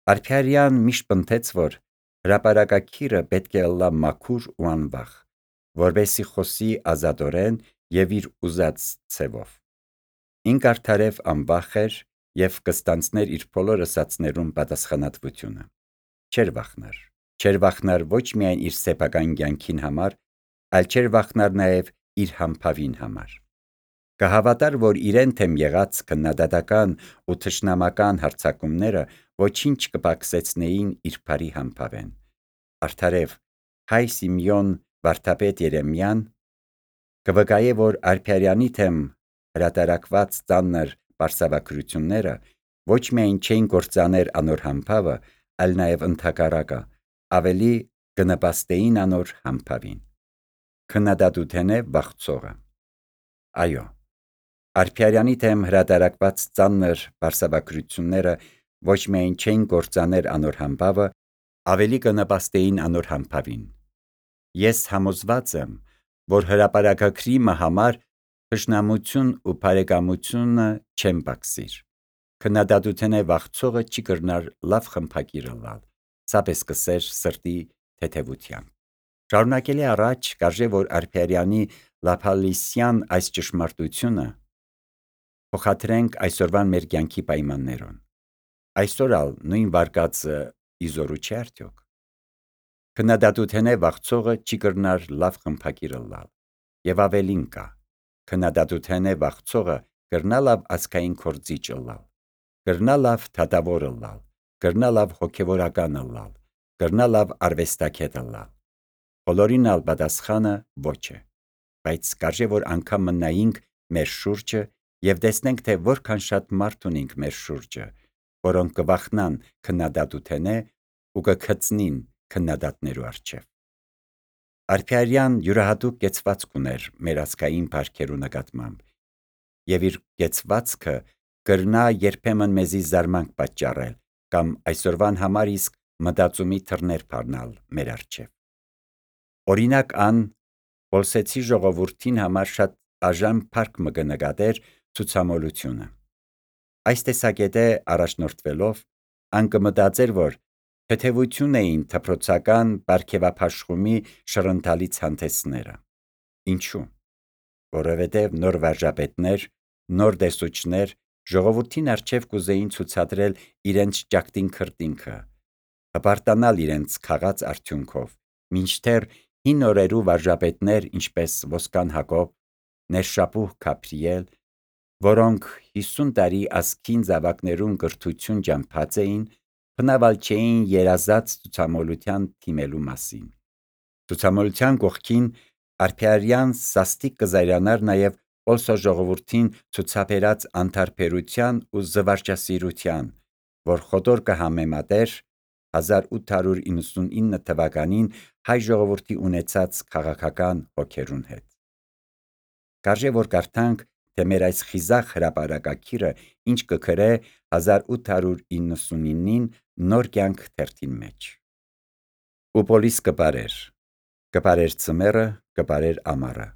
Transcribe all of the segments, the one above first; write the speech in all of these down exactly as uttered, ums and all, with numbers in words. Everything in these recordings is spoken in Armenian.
Արփիարյան միշտ պնդեց, որ հրապարակագիրը պետք է ըլլա մաքուր ու անվախ, որպեսզի խոսի ազատորեն եւ իր ուզած ցևով։ Ինք արդարև անվախ էր եւ կստանցներ իր բոլոր ըսածներուն պատասխանատվությունը։ Չէր վախնար։ Չէր վախնար ոչ միայն իր սեփական կյանքին համար, այլ չէր վախնար նաեւ իր համբավին համար։ Կհավատար, որ իրեն թեմ եղած քննադատական ու թշնամական հարձակումները ոչինչ կպակսեցնեին իր բարի համբավեն։ Արդարև հայ Սիմեոն վարդապետ Երեմիան կվկայե, որ Արփիարյանի թեմ հրատարակված ծանր պարսավաքրությունները ոչ միայն չէին կործաներ անոր համբավը, այլ նաև ընդհակառակը ավելի կնպաստեին անոր համբավին։ Քննադատութենե վախցողը։ Այո, Արփիարյանի թեմ հրատարակված ծանր պարսավաքրությունները ոչ միայն չէին կործաներ անոր համբավը, ավելի կնպաստեին անոր համբավին։ Ես համոզված եմ, որ հրապարակագրի մը համար թշնամություն ու բարեկամությունը չեն պակսիր։ Քննադատութենե վախցողը չի կրնար լավ խմբագիր ըլլալ, ցապես կսեր սրտի թեթևությամբ։ Շարունակելի առաջ կարժե, որ Արփիարյանի լափալիսյան այս ճշմարտությունը փոխադրենք այսօրվան մեր կյանքի պայմաններուն։ Այսօր ալ նույն վարկածը իզորու չէ արդյոք։ Քննադատութենե վախցողը չի կրնար լավ խմբագիր ըլլալ։ Եվ ավելին կա, քննադատութենե վախցողը կրնա լավ ազգային քորձիչ ըլլալ, կրնա լավ դատավոր ըլլալ, կրնա լավ հոգևորական ըլլալ, կրնա լավ արվեստագետ ըլլալ։ Բոլորին ալ պատասխանը ոչ է, բայց կարժե որ անգամ մնայինք մեր շուրջը եւ տեսնենք, թե որքան շատ մարդ ունենք մեր շուրջը, որոնք կվախնան քննադատութենե ու կգծնին քննադատներու առջև։ Արփիարյան յուրահատուկ կեցվածք ուներ մեր ազգային բարքերու նկատմամբ, եւ իր կեցվածքը կրնա երբեմն մեզի զարմանք պատճառել կամ այսօրվան համար իսկ մտածումի թռներ բառնալ մեր առջև։ Օրինակ ան Պոլսեցի ժողովրդին համար շատ աժամ փառք մը կնկատեր ցուցամոլությունը։ Այս տեսակետե առաջնորդվելով ան կմտածեր, որ թեթևություն էին դպրոցական պարգևապաշխումի շռընթալի ցանցեսները։ Ինչու՞։ Որովհետև նոր վարժապետներ, նոր դեսուչներ ժողովրդին առջև կուզեին ցուցադրել իրենց ճակտին քրտինքը, հպարտանալ իրենց քաղած արդյունքով, մինչդեռ հին օրերու վարժապետներ, ինչպես Ոսկան Հակոբ, Ներշապուհ Գաբրիել, որոնք հիսուն տարի ազգին զավակներուն կրթություն ճամփած էին, բնաւալ չէին երազած ցուցամոլության թիմելու մասին։ Ցուցամոլության կողքին Արփիարյան սաստիկ կզայրանար նաև Պոլսո ժողովրդին ցուցաբերած անտարբերության ու զվարճասիրության, որ խոտոր կհամեմատեր հազար ութ հարյուր իննսունինը թվականին հայ ժողովրդի ունեցած քաղաքական հոգերուն հետ։ Կարժե որ կարդանք, թե մեր այս խիզախ հրապարակագիրը ինչ կգրե հազար ութ հարյուր իննսունինին նոր կյանք թերթին մեջ։ Ու պոլիս կպարեր, կպարեր ծմերը, կպարեր ամառը,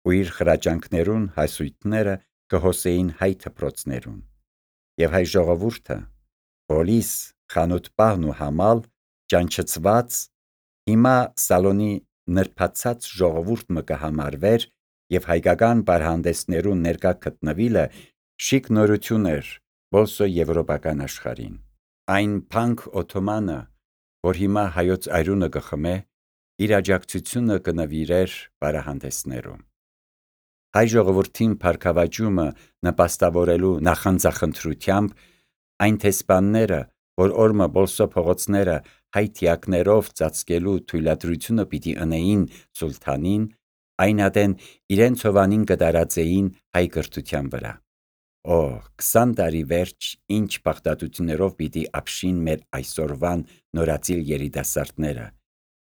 ու իր խրաճանքներուն հասույթները կհոսեին հայ դպրոցներուն, եւ հայ ժողովուրդը, պոլիս, խանութպահն ու համալ, ճանչծված, հիմա սալոնի նրբացած ժողովուրդ մը կհամարվեր եւ հայկական պարհանդեսներուն ներկա գտնվիլը շիկ նորություն էր Պոլսո եվրոպական աշխարհին։ Այն փանկ օթոմանը, որ հիմա հայոց այրունը կխմե, իր աջակցությունը կնվիրեր պարահանդեսներում։ Հայ ժողովրդին փառքավաճումը նպաստավորելու նախանձախնդրությամբ այն տեսփանները, որ օրմը Պոլսո փողոցները հայ թիակներով ծածկելու թույլատրությունը պիտի ընեին սուլթանին, այն ադեն իրենց հովանին կդարածեին հայ կրթության վրա։ Օ, քսան տարի վերջ ինչ բաղդատություններով պիտի ապշին մեր այսօրվան նորածիլ երիտասարդները,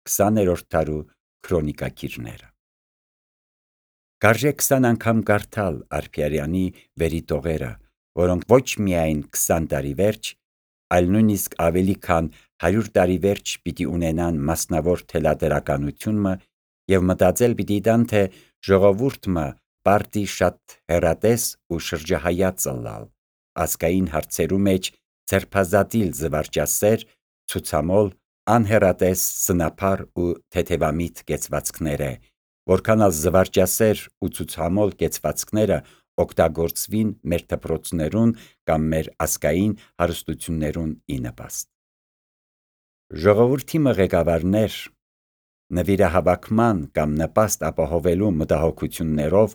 քսաներորդ դարու քրոնիկագիրները։ Կարժե քսան անգամ կարդալ Արփիարյանի վերի տողերը, որոնք ոչ միայն քսան տարի վերջ, այլ նույնիսկ ավելի քան հարյուր տարի վերջ պիտի ունենան մասնավոր թելադրականությունը եւ մտածել պիտի տան, թե ժողովուրդը պարտի շատ հեռատես ու շրջահայաց ըլլալ ազգային հարցերու մեջ ձերբազատիլ զվարճասեր, ցուցամոլ, անհեռատես, սնափառ ու թեթևամիտ կեցվածքները, որքան ալ զվարճասեր ու ցուցամոլ կեցվածքները օգտագործվին մեր դպրոցներուն կամ մեր ազգային հարստություններուն ի նպաստ։ Ժողովրդի ղեկավարներ նվիրահավաքման կամ նպաստ ապահովելու մտահոգություններով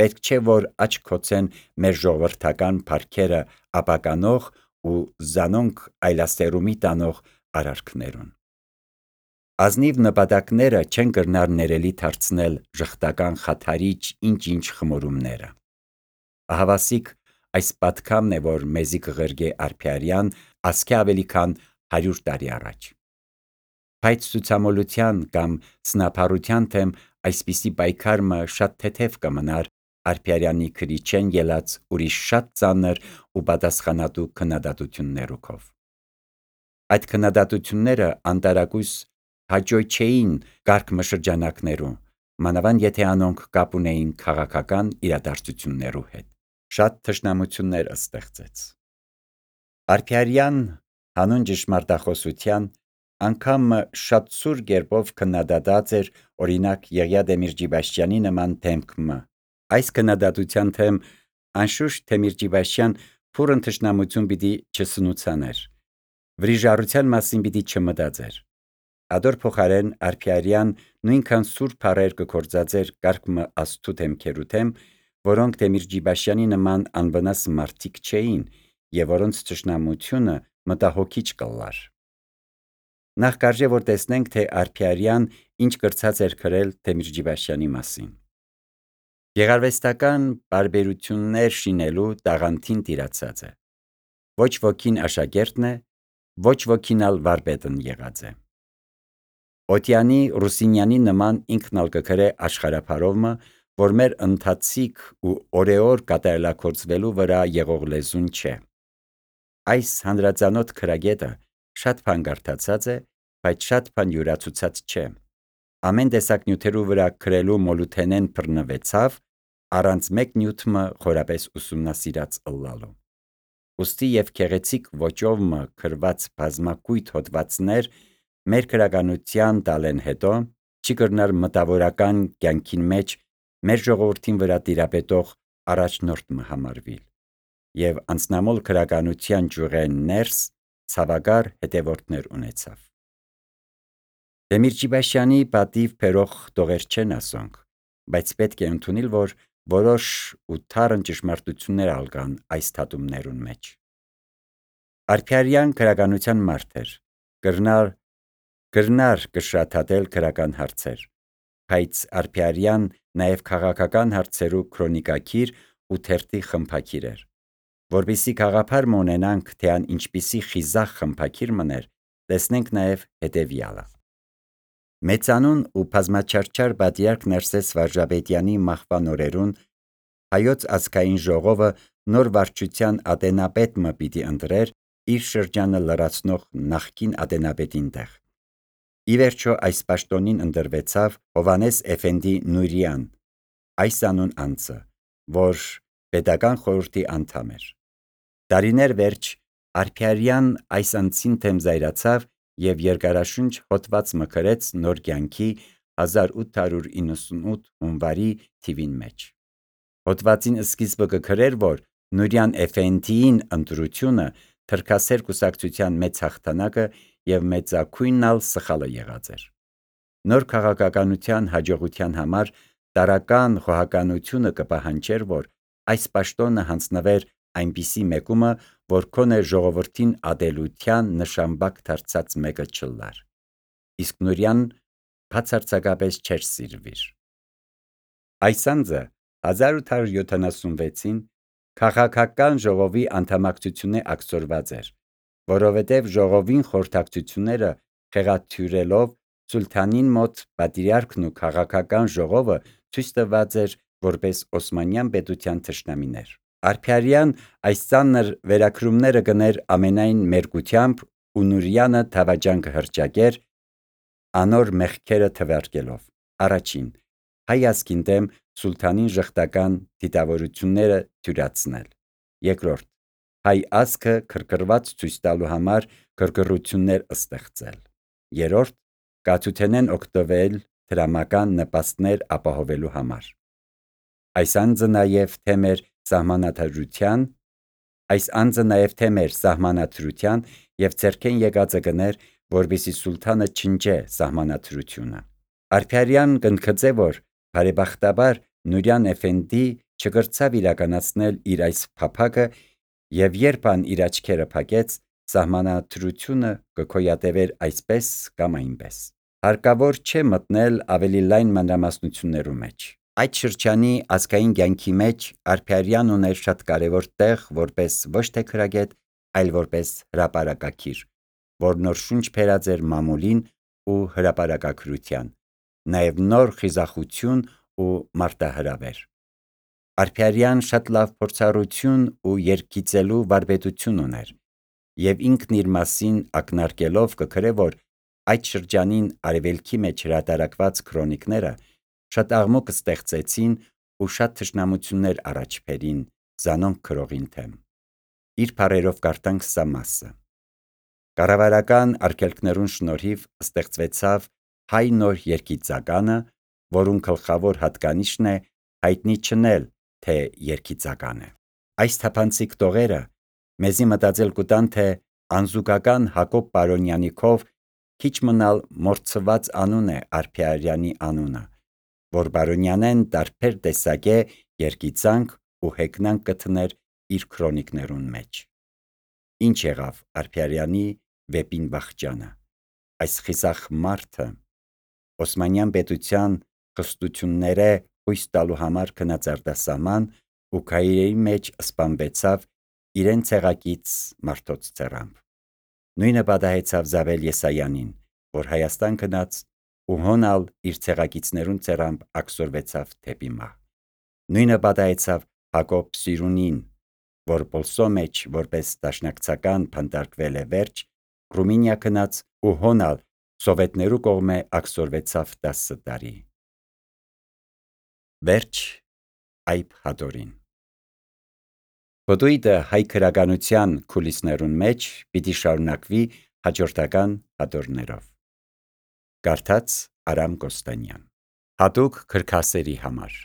պետք չէ որ աչք քոցեն մեր ժողովրդական փառքերը ապականող ու զանոնք այլաստերումի տանող արարքներուն։ Ազնիվ նպատակները չեն կրնար ներելի դարձնել ժխտական խաթարիչ ինչ-ինչ խմորումները։ Ահավասիկ այս պատքամն է, որ մեզի կղրգե Արփիարյան ասքի ավելի քան հարյուր տարի առաջ։ Բայց ցուցամոլության կամ սնափառության թեմ այսպիսի պայքարը շատ թեթև կմնար Արփիարյանի քրիչեն ելած ուրիշ շատ ծանր ու պատասխանատու քննադատություններով։ Այդ քննադատությունները անտարակույս հաճոյ չէին կարգմշրջանակներում, մանավանդ եթե անոնք կապ ունեին քաղաքական իրադարձություններու հետ։ Շատ թշնամություններ ստեղծեց։ Արփիարյան հանուն ճշմարտախոսության անգամ շատ սուր կերպով քննադատած էր օրինակ Եղիա Դեմիրճիբաշյանի նման դեմքը։ Այս քննադատության թեմ անշուշտ Դեմիրճիբաշյան փուրն թշնամություն պիտի չսնուցաներ, վրիժառության մասին պիտի չմտածեր։ Ադոր փոխարեն Արփիարյան նույնքան սուր բառեր կգործածեր կարգմը աստու դեմքերու թեմ, որոնք Դեմիրճիբաշյանի նման անվնաս մարդիկ չէին եւ որոնց թշնամությունը մտահոգիչ կլար։ Նախ կարժե որ տեսնենք, թե Արփիարյան ինչ կրծած էր գրել Դեմիրճիբաշյանի մասին։ Գեղարվեստական բարբերություններ շինելու տաղանդին տիրացած է։ Ոչ ոքին աշակերտն է, ոչ ոքին ալ վարպետն եղած է։ Օթյանի Ռուսինյանի նման ինքն ալ կգրե աշխարհափարովը, որ մեր ընթացիկ ու օրեօր կատարելագործվելու վրա եղող լեզուն չէ։ Այս հանրածանոթ քրագետը շատ բան կարդացած է, բայց շատ բան յուրացուցած չէ։ Ամեն տեսակ նյութերու վրա գրելու մոլութենեն բռնվեցավ, առանց մեկ նյութը խորապես ուսումնասիրած ըլլալու։ Ուստի եւ քեղեցիկ ոճովը գրված բազմակույտ հոդվածներ մեր քրագանության տալեն հետո չի կրնար մտավորական կյանքին մեջ մեր ժողովրդին վրա տիրապետող առաջնորդը համարվել եւ անցնամոլ քրագանության ջուրեն ներս ցավագար հետևորդներ ունեցավ։ Դեմիրճիբաշյանի պատիվ բերող տողեր չեն ասոնք, բայց պետք է ընդունել, որ որոշ ու թարն ճշմարտություններ ալ կան այս թատումներուն մեջ։ Արփիարյան քրագանության մարդ էր, կրնար կրնար կշռաթատել քրական հարցեր, բայց Արփիարյան նաև քաղաքական հարցերու քրոնիկակիր ու թերթի խմբակիր էր։ Որպեսզի գաղափար ունենանք, թե ան ինչպիսի խիզախ խմբակիր մներ, տեսնենք նաև հետևյալը։ Մեծանուն ու բազմաչարչար պատիարք Ներսես Վարժապետյանի մահվան օրերուն հայոց ազգային ժողովը նոր վարչության ատենապետը պիտի ընտրեր իր շրջանը լրացնող նախկին ատենապետին տեղ։ Ի վերջո այս պաշտոնին ընտրվեցավ Հովանես Էֆենդի Նուրյան, այս անուն անձը, որ պետական խորհրդի անդամ էր։ Տարիներ վերջ Արփիարյան այս անձին թեմ զայրացավ եւ երկարաշունչ հոդված մկրեց նոր կյանքի հազար ութ հարյուր իննսունութ հունվարի թիվին մեջ։ Հոդվածին սկիզբը կգրեր, որ Նուրյան Էֆենդիին ընտրությունը թրքասեր կուսակցության մեծ հաղթանակը եւ մեծակույնն ալ սխալը եղած էր։ Նոր քաղաքականության հաջողության համար տարական խոհականությունը կպահանջեր, որ այս պաշտոնը հանձնվեր այնպիսի մեկումը, որ քոնե ժողովրդին ադելության նշանբակ դարձած մեկը չլար։ Իսկ Նուրյան բացարձակապես չէր սիրվիր։ Այս անձը հազար ութ հարյուր յոթանասունվեցին քաղաքական ժողովի անդամակցությունը ակցորված էր, որովհետև ժողովին խորհրդակցությունները խեղաթյուրելով սուլթանին մոտ պատրիարքն ու քաղաքական ժողովը ցույց տված էր որպես Օսմանյան պետության թշնամիներ։ Արփիարյան այս ծանր վերագրումները գներ ամենայն մերկությամբ ու Նուրյանը դավաճան կհռչակեր անոր մեղքերը թվարկելով։ Առաջին՝ հայ ազգին դեմ սուլթանին ժխտական դիտավորությունները թյուրացնել։ Երկրորդ՝ հայ ազգը քրքրված ցույց տալու համար գրգռություններ ստեղծել։ Երրորդ, կաթութենեն օգտվել դրամական նպաստներ ապահովելու համար։ Այս անձը նաև թե մեր սահմանադրության, այս անձը նաև թե մեր սահմանադրության և ձեռքեն եկածը գներ, որպեսզի սուլթանը չնջե սահմանադրությունը։ Արփիարյան կընդգծե, որ բարեբախտաբար Նուրյան Էֆենդի չկրցավ իրականացնել իր այս փափագը, և երբ ան իր աչքերը փակեց, սահմանադրությունը կգոյատևեր այսպես կամ այնպես։ Հարկավոր չէ մտնել ավելի լայն մանրամասնություններու մեջ։ Այդ շրջանի ազգային կյանքի մեջ Արփիարյան ուներ շատ կարևոր տեղ որպես ոչ թե քրագետ, այլ որպես հրապարակագիր, որ նոր շունչ բերած էր մամուլին ու հրապարակագրության, նաև նոր խիզախություն ու մարտահրավեր։ Արփիարյան շատ լավ փորձառություն ու երգիծելու վարպետություն ուներ, և ինքն իր մասին ակնարկելով կգրե, որ այդ շրջանին արևելքի մեջ հրատարակված քրոնիկները շատ աղմուկ ստեղծեցին ու շատ թշնամություններ առաջ բերին զանոնք գրողին դեմ։ Իր բառերով կարդանք սա մասը. «Կառավարական արգելքներուն շնորհիվ ստեղծվեցավ հայ նոր երգիծականը, որուն գլխավոր հատկանիշն է հայտնի չնել, թե երգիծական է։ Այս թափանցիկ տողերը մեզի մտածել կուտան, թե անզուգական Հակոբ Պարոնյանի քով քիչ մնալ մորցված անուն է Արփիարյանի անունը, որ Պարոնյանեն տարբեր տեսակե երգիծանք ու հեգնանք կտներ իր քրոնիկներուն մեջ։ Ինչ եղավ Արփիարյանի վեպին վախճանը։ Այս խիզախ մարդը Օսմանյան պետության խստությունները հույս տալու համար գնաց արտասահման ու քայլերի մեջ սպանվեցավ իրեն ցեղակից մարդոց ձեռամբ։ Նույնը պատահեցավ Զավել Եսայանին, որ Հայաստան գնաց ու հոնալ իր ցեղակիցներուն ձեռամբ աքսորվեցավ դեպի մահ։ Նույնը պատահեցավ Հակոբ Սիրունին, որ Պոլսո մեջ որպես դաշնակցական բանտարկվել է վերջ, Ռումինիա գնաց ու հոնալ սովետներու կողմէ աքսորվեցավ տասը տարի։ Վերջ Այբ Հադորին։ Պտույտը հայ գրականության քուլիսներուն մեջ պիտի շարունակվի հաջորդական հատորներով։ Կարդաց Արամ Կոստանյան։ Հատուկ գրքասերի համար։